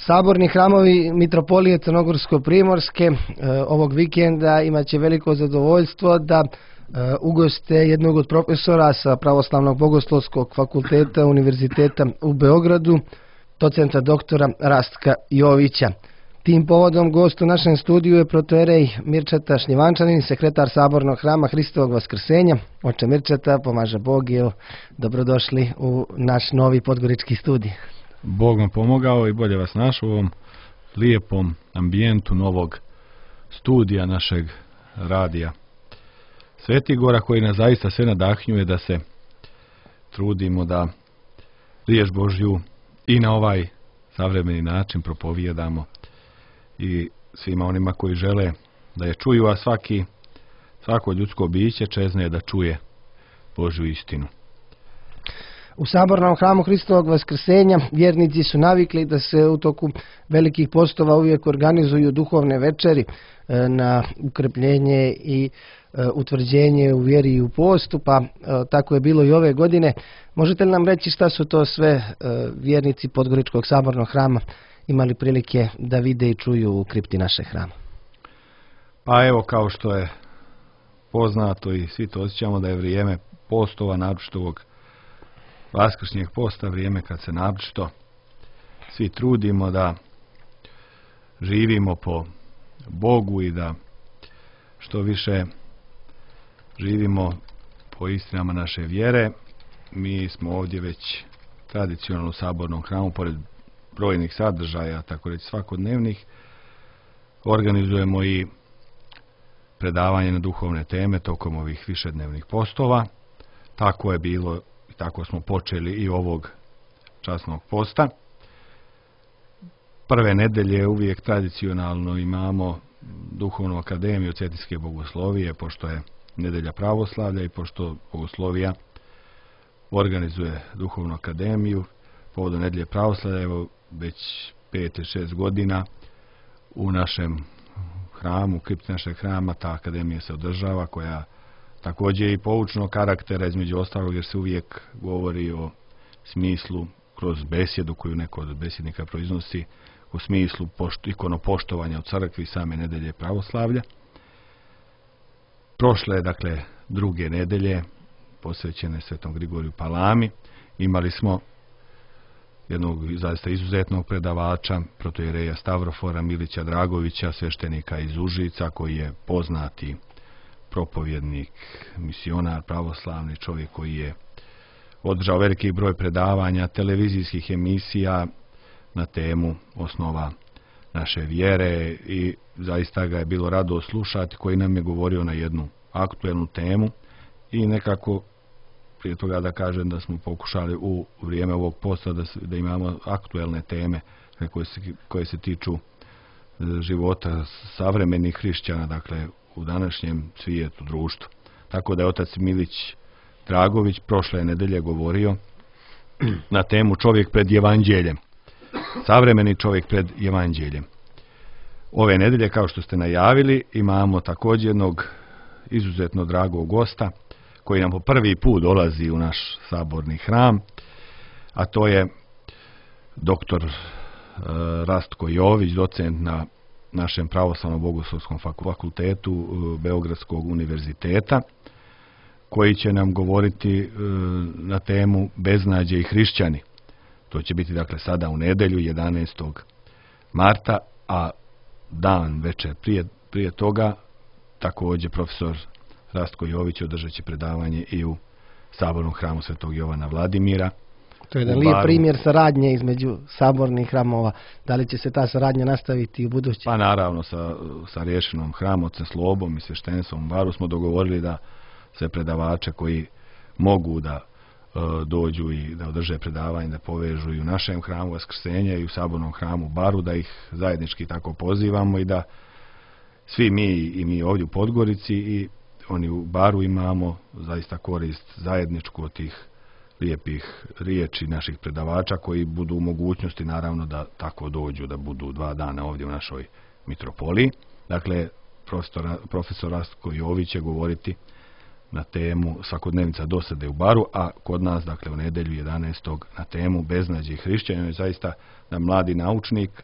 Saborni hramovi Mitropolije Crnogorsko-Primorske ovog vikenda imaće veliko zadovoljstvo da ugoste jednog od profesora sa Pravoslavnog bogoslovskog fakulteta Univerziteta u Beogradu, docenta doktora Rastka Jovića. Tim povodom gost u našem studiju je protojerej Mirčeta Šljivančanin, sekretar Sabornog hrama Hristovog Vaskrsenja. Oče Mirčeta, pomaže Bog i dobrodošli u naš novi podgorički studij. Bog vam pomogao i bolje vas našao u ovom lijepom ambijentu novog studija našeg radija Svetigora, koji nas zaista sve nadahnjuje da se trudimo da riječ Božju i na ovaj savremeni način propovijedamo i svima onima koji žele da je čuju, a svako ljudsko biće čezne da čuje Božju istinu. U Sabornom hramu Hristovog Vaskrsenja vjernici su navikli da se u toku velikih postova uvijek organizuju duhovne večeri na ukrepljenje i utvrđenje u vjeri i u postu, pa tako je bilo i ove godine. Možete li nam reći šta su to sve vjernici Podgoričkog Sabornog hrama imali prilike da vide i čuju u kripti našeg hrama? Pa evo, kao što je poznato i svi to osjećamo da je vrijeme postova, naročito ovog vaskršnjeg posta, vrijeme kad se naročito svi trudimo da živimo po Bogu i da što više živimo po istinama naše vjere. Mi smo ovdje već tradicionalno u Sabornom hramu, pored brojnih sadržaja, tako reći svakodnevnih, organizujemo i predavanje na duhovne teme tokom ovih višednevnih postova. Tako je bilo i tako smo počeli i ovog časnog posta. Prve nedelje uvijek tradicionalno imamo Duhovnu akademiju Cetinske bogoslovije, pošto je nedelja pravoslavlja i pošto bogoslovija organizuje Duhovnu akademiju povodom nedelje pravoslavlja. Evo već 5 ili 6 godina u našem hramu, u kripti našeg hrama, ta akademija se održava, koja također je i poučnog karaktera, između ostalog, jer se uvijek govori o smislu kroz besjedu koju neko od besjednika proiznosi, u smislu ikonopoštovanja u crkvi same nedelje pravoslavlja. Prošle je, dakle, druge nedelje posvećene Svetom Grigoriju Palami. Imali smo jednog zaista izuzetnog predavača, protojereja Stavrofora Milića Dragovića, sveštenika iz Užica, koji je poznati propovjednik, misionar pravoslavni, čovjek koji je održao veliki broj predavanja, televizijskih emisija na temu osnova naše vjere i zaista ga je bilo rado slušati, koji nam je govorio na jednu aktuelnu temu i nekako prije toga da kažem da smo pokušali u vrijeme ovog posta da imamo aktuelne teme koje se tiču života savremenih hrišćana, dakle u današnjem svijetu, društvu. Tako da je otac Milić Dragović prošle nedelje govorio na temu čovjek pred evanđeljem. Savremeni čovjek pred evanđeljem. Ove nedelje, kao što ste najavili, imamo također jednog izuzetno dragog gosta koji nam po prvi put dolazi u naš saborni hram, a to je doktor Rastko Jović, docent na našem Pravoslavnom bogoslovskom fakultetu Beogradskog univerziteta, koji će nam govoriti na temu beznađe i hrišćani. To će biti, dakle, sada u nedjelju 11. marta, a dan večer prije toga također profesor Rastko Jović održat će predavanje i u Sabornom hramu Svetog Jovana Vladimira. To je jedan lijep primjer saradnje između sabornih hramova. Da li će se ta saradnja nastaviti u budući? Pa naravno, sa rješenom hramom, ocem Slobom i sveštenstvom u Baru smo dogovorili da sve predavače koji mogu da dođu i da održe predavanje, da povežu i u našem hramu Vaskrsenja i u Sabornom hramu Baru, da ih zajednički tako pozivamo i da svi mi ovdje u Podgorici i oni u Baru imamo zaista korist zajedničku od tih lijepih riječi naših predavača koji budu u mogućnosti naravno da tako dođu, da budu 2 dana ovdje u našoj mitropoliji. Dakle, profesor Rastko Jović će govoriti na temu svakodnevnica dosade u baru, a kod nas, dakle, u nedjelju 11. na temu beznađe i hrišćanju je zaista mladi naučnik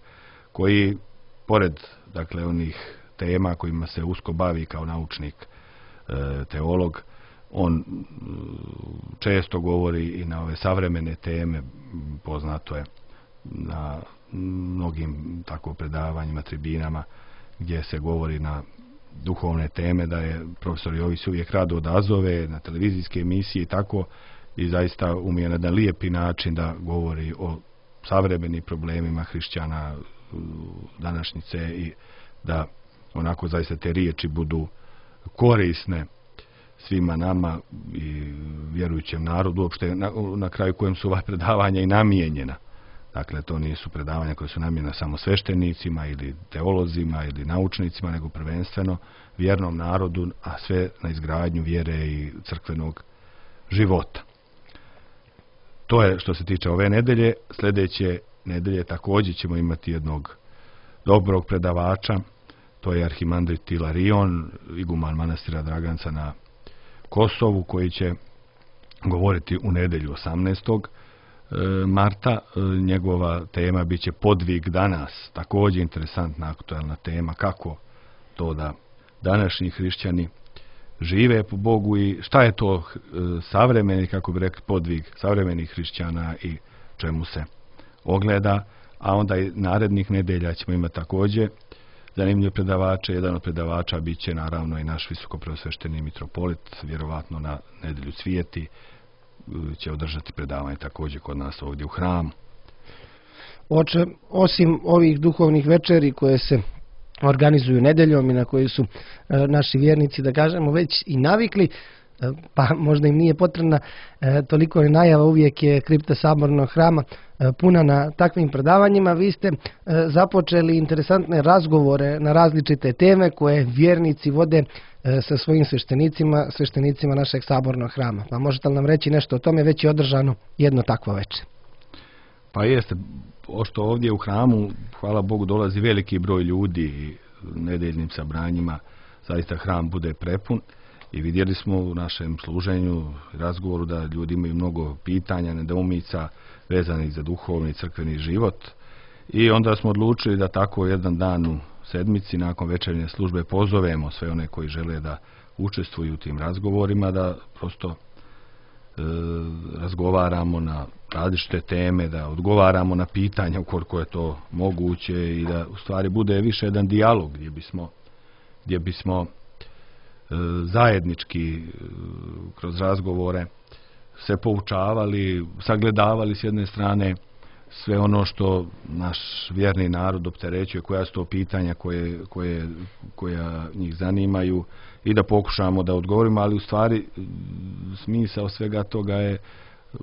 koji, pored, dakle, onih tema kojima se usko bavi kao naučnik, teolog, on često govori i na ove savremene teme, poznato je na mnogim tako predavanjima, tribinama, gdje se govori na duhovne teme, da je profesor Jović uvijek rado odazove na televizijske emisije i tako, i zaista umije na jedan lijepi način da govori o savremenim problemima hrišćana današnjice i da onako zaista te riječi budu korisne svima nama i vjerujućem narodu, uopšte na kraju kojem su ova predavanja i namijenjena. Dakle, to nisu predavanja koje su namijenjena samo sveštenicima ili teolozima ili naučnicima, nego prvenstveno vjernom narodu, a sve na izgradnju vjere i crkvenog života. To je što se tiče ove nedelje. Sljedeće nedelje također ćemo imati jednog dobrog predavača. To je arhimandrit Ilarion, iguman manastira Draganca na Kosovu, koji će govoriti u nedjelju 18. marta. Njegova tema bit će podvig danas. Također interesantna, aktualna tema, kako to da današnji hrišćani žive po Bogu i šta je to savremeni, kako bi rekli, podvig savremenih hrišćana i čemu se ogleda. A onda i narednih nedelja ćemo imati također zanimljive predavače. Jedan od predavača bit će naravno i naš visokopreosvešteni mitropolit, vjerovatno na nedjelju Cvijeti će održati predavanje također kod nas ovdje u hramu. Oče, osim ovih duhovnih večeri koje se organizuju nedeljom i na koji su naši vjernici, da kažemo, već i navikli, pa možda im nije potrebna toliko ni najava, uvijek je kripta Sabornog hrama puna na takvim predavanjima. Vi ste započeli interesantne razgovore na različite teme koje vjernici vode sa svojim sveštenicima našeg Sabornog hrama. Pa možete li nam reći nešto o tome? Već je održano jedno takvo večer. Pa jeste, pošto ovdje u hramu, hvala Bogu, dolazi veliki broj ljudi i nedeljnim sabranjima zaista hram bude prepun. I vidjeli smo u našem služenju i razgovoru da ljudi imaju mnogo pitanja, nedoumica vezanih za duhovni i crkveni život. I onda smo odlučili da tako jedan dan u sedmici nakon večernje službe pozovemo sve one koji žele da učestvuju u tim razgovorima, da prosto razgovaramo na različite teme, da odgovaramo na pitanja ukoliko je to moguće i da u stvari bude više jedan dijalog gdje bismo zajednički kroz razgovore se poučavali, sagledavali s jedne strane sve ono što naš vjerni narod opterećuje, koja su to pitanja koja njih zanimaju i da pokušamo da odgovorimo, ali u stvari smisao svega toga je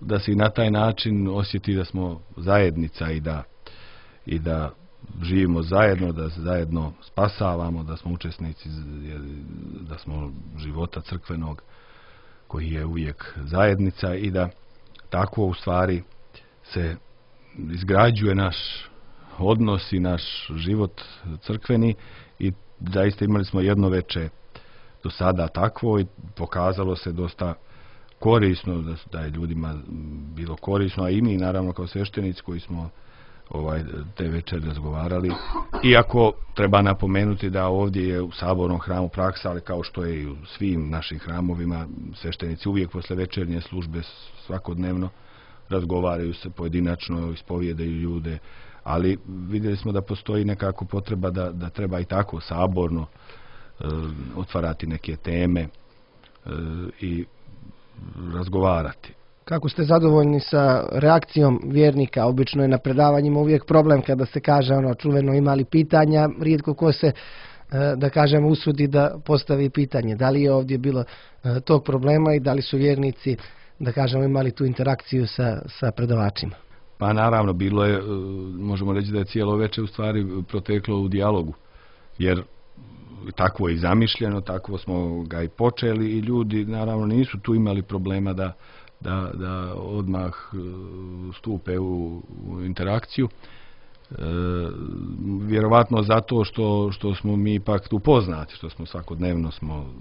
da se i na taj način osjeti da smo zajednica i da živimo zajedno, da se zajedno spasavamo, da smo učesnici, da smo života crkvenog koji je uvijek zajednica i da tako u stvari se izgrađuje naš odnos i naš život crkveni. I zaista imali smo jedno veče do sada takvo i pokazalo se dosta korisno, da je ljudima bilo korisno, a i mi naravno kao sveštenici koji smo te večeri razgovarali. Iako treba napomenuti da ovdje je u Sabornom hramu praksa, ali kao što je i u svim našim hramovima, sveštenici uvijek posle večernje službe svakodnevno razgovaraju se pojedinačno, ispovijedaju ljude, ali vidjeli smo da postoji nekako potreba da treba i tako saborno otvarati neke teme i razgovarati. Kako ste zadovoljni sa reakcijom vjernika? Obično je na predavanjima uvijek problem kada se kaže čuveno imali pitanja, rijetko ko se, da kažem, usudi da postavi pitanje. Da li je ovdje bilo tog problema i da li su vjernici, da kažemo, imali tu interakciju sa predavačima? Pa naravno, bilo je, možemo reći da je cijelo večer u stvari proteklo u dijalogu, jer takvo je i zamišljeno, takvo smo ga i počeli i ljudi naravno nisu tu imali problema da odmah stupe u interakciju. Vjerovatno zato što smo mi ipak tu poznati, što smo svakodnevno smo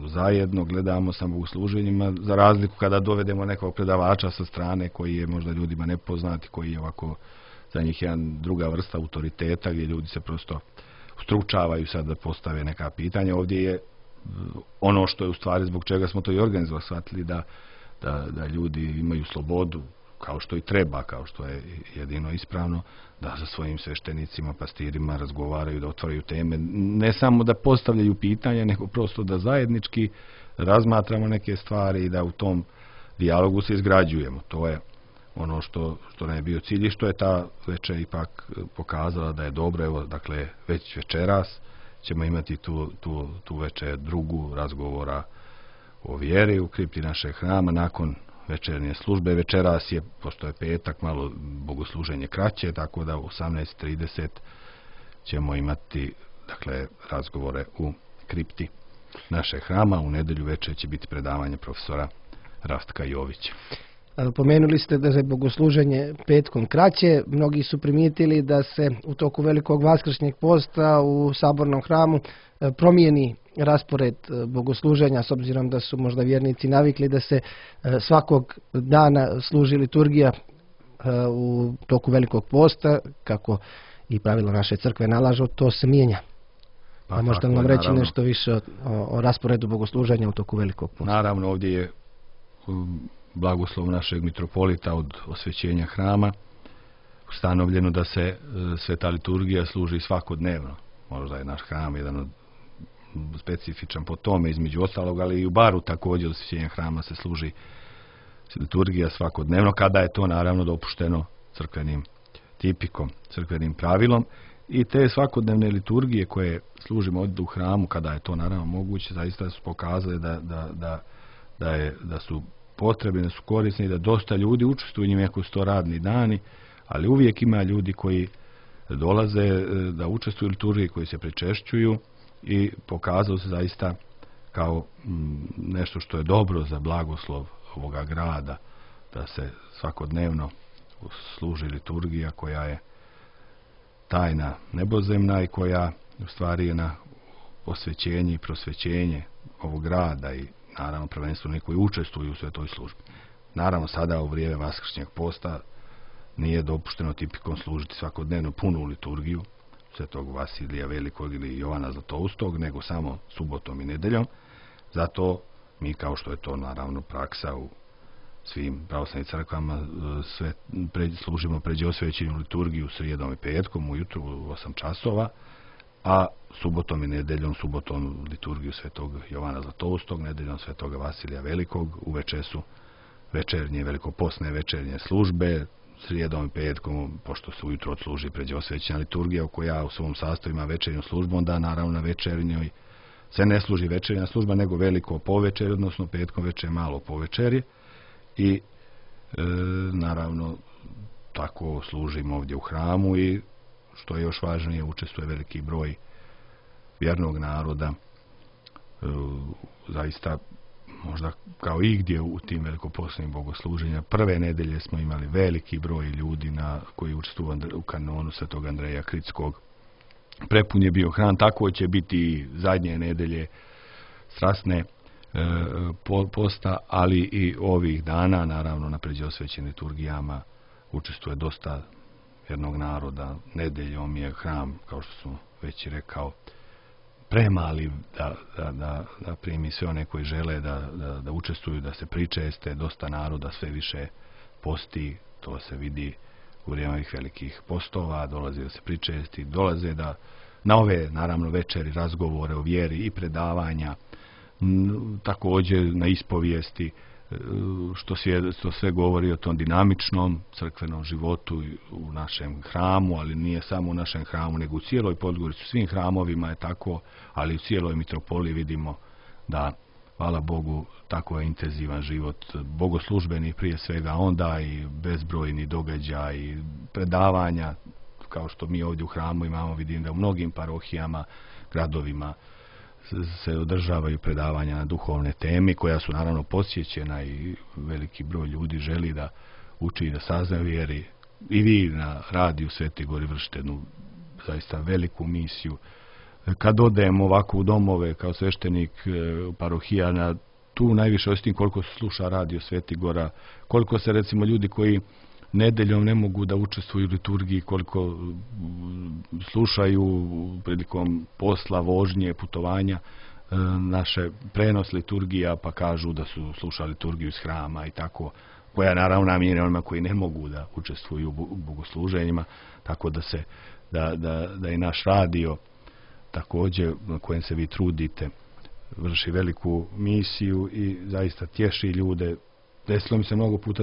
zajedno, gledamo sa bogosluženjima, za razliku kada dovedemo nekog predavača sa strane koji je možda ljudima nepoznati, koji je ovako za njih jedan druga vrsta autoriteta gdje ljudi se prosto stručavaju sad da postave neka pitanja. Ovdje je ono što je u stvari zbog čega smo to i organizovali, shvatili da ljudi imaju slobodu, kao što i treba, kao što je jedino ispravno, da sa svojim sveštenicima, pastirima razgovaraju, da otvaraju teme, ne samo da postavljaju pitanja, nego prosto da zajednički razmatramo neke stvari i da u tom dijalogu se izgrađujemo. To je ono što nam je bio cilj i što je ta večer ipak pokazala da je dobro. Evo, dakle, već večeras ćemo imati tu večer drugu razgovora o vjeri u kripti našeg hrama nakon večernje službe. Večeras je, pošto je petak, malo bogosluženje kraće, tako da u 18:30 ćemo imati, dakle, razgovore u kripti našeg hrama. U nedjelju večer će biti predavanje profesora Rastka Jovića. Pomenuli ste da je bogosluženje petkom kraće. Mnogi su primijetili da se u toku velikog vaskršnjeg posta u sabornom hramu promijeni raspored bogosluženja, s obzirom da su možda vjernici navikli da se svakog dana služi liturgija u toku velikog posta, kako i pravilo naše crkve nalažu, to se mijenja. Pa možete nam reći nešto više o rasporedu bogosluženja u toku velikog posta? Naravno, ovdje je blagoslov našeg mitropolita od osvećenja hrama ustanovljeno da se sveta liturgija služi svakodnevno. Možda je naš hram jedan od specifičan po tome, između ostalog, ali i u Baru također osvećenja hrama se služi liturgija svakodnevno, kada je to naravno dopušteno crkvenim tipikom, crkvenim pravilom. I te svakodnevne liturgije koje služimo ovdje u hramu, kada je to naravno moguće, zaista su pokazali da su potrebne, da su korisne i da dosta ljudi učestvuju u njima, iako su to radni dani, ali uvijek ima ljudi koji dolaze da učestvuju u liturgiji, koji se pričešćuju i pokazalo se zaista kao nešto što je dobro za blagoslov ovoga grada, da se svakodnevno služi liturgija koja je tajna nebozemna i koja u stvari je na osvećenje i prosvećenje ovog grada i naravno prvenstveno oni koji učestvuju u svetoj službi. Naravno, sada u vrijeme vaskršnjeg posta nije dopušteno tipikom služiti svakodnevno punu liturgiju svetog Vasilija Velikog ili Jovana Zlatoustog, nego samo subotom i nedeljom. Zato mi, kao što je to naravno praksa u svim pravoslavnim crkvama, služimo pređe osvećenju liturgiju srijedom i petkom ujutru u 8 časova, a subotom i nedeljom, subotom liturgiju svetog Jovana Zlatoustog, nedeljom svetoga Vasilija Velikog, uveče su večernje, velikopostne večernje službe, srijedom i petkom, pošto se ujutro odsluži pređe osvećena liturgija, koja u svom sastavu ima večernju službu, onda naravno na večernjoj se ne služi večernja služba, nego veliko povečerje, odnosno petkom večer malo povečerje. I naravno tako služimo ovdje u hramu i što je još važnije, učestvuje veliki broj vjernog naroda, zaista možda kao i gdje u tim velikopostnim bogosluženja. Prve nedelje smo imali veliki broj ljudi koji učestvuju u kanonu svetog Andreja Kritskog. Prepun je bio hram, tako će biti i zadnje nedelje strasne posta, ali i ovih dana, naravno na pređe osvećenim liturgijama učestvuje dosta vjernog naroda. Nedeljom je hram, kao što sam već rekao, premali da primi sve one koji žele da učestvuju, da se pričeste. Dosta naroda sve više posti, to se vidi u vrijeme ovih velikih postova, dolaze da se pričesti, dolaze na ove naravno večeri razgovore o vjeri i predavanja, također na ispovijesti, što sve govori o tom dinamičnom crkvenom životu u našem hramu, ali nije samo u našem hramu, nego u cijeloj Podgorici, u svim hramovima je tako, ali u cijeloj mitropoliji vidimo da, hvala Bogu, tako je intenzivan život bogoslužbeni prije svega, onda i bezbrojni događaj i predavanja, kao što mi ovdje u hramu imamo. Vidim da u mnogim parohijama, gradovima se održavaju predavanja na duhovne teme, koja su naravno posjećena i veliki broj ljudi želi da uči i da sazna vjeri, i vi na radiju Sveti Gori vršite jednu zaista veliku misiju. Kad odem ovako u domove kao sveštenik parohijana, tu najviše osjetim koliko se sluša radio Sveti Gora, koliko se recimo ljudi koji nedeljom ne mogu da učestvuju u liturgiji, koliko slušaju prilikom posla, vožnje, putovanja, naše prenos liturgija, pa kažu da su slušali liturgiju iz hrama i tako, koja naravno namijenjena onima koji ne mogu da učestvuju u bogosluženjima, tako da i naš radio također na kojem se vi trudite vrši veliku misiju i zaista tješi ljude. Desilo mi se mnogo puta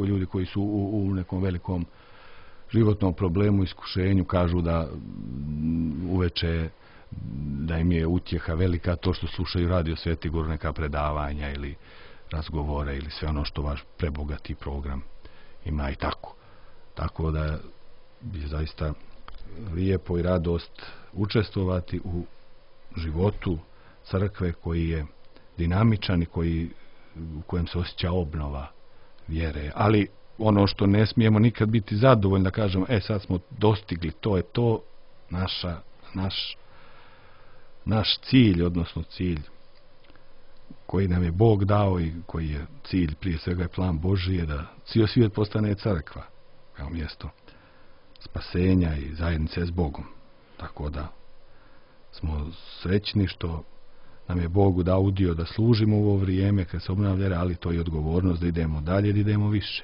ljudi koji su u nekom velikom životnom problemu, iskušenju, kažu da uveče da im je utjeha velika to što slušaju radio Sveti Gor, neka predavanja ili razgovore ili sve ono što vaš prebogati program ima i tako. Tako da je zaista lijepo i radost učestvovati u životu crkve koji je dinamičan i u kojem se osjeća obnova vjere. Ali ono što ne smijemo nikad biti zadovoljni da kažemo, sad smo dostigli, to je to, naš cilj, odnosno cilj koji nam je Bog dao i koji je cilj, prije svega je plan Božji, je da cijel svijet postane crkva kao mjesto spasenja i zajednice s Bogom. Tako da smo srećni što nam je Bogu dao udio da služimo u ovo vrijeme kad se obnavlja vjera, ali to je odgovornost da idemo dalje, da idemo više.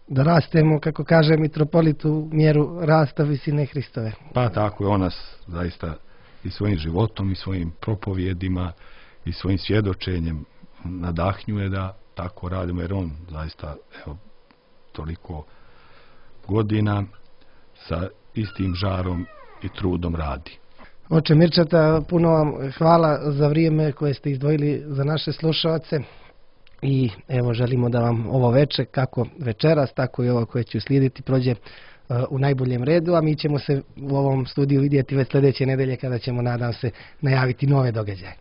Da rastemo, kako kaže mitropolit, u mjeru rasta visine Hristove. Pa tako je, on nas zaista i svojim životom i svojim propovjedima i svojim svjedočenjem nadahnjuje da tako radimo, jer on zaista toliko godina sa istim žarom i trudom radi. Oče Mirčeta, puno vam hvala za vrijeme koje ste izdvojili za naše slušalce i evo želimo da vam ovo veče, kako večeras, tako i ovo koje će uslijediti, prođe u najboljem redu, a mi ćemo se u ovom studiju vidjeti već sljedeće nedelje kada ćemo, nadam se, najaviti nove događaje.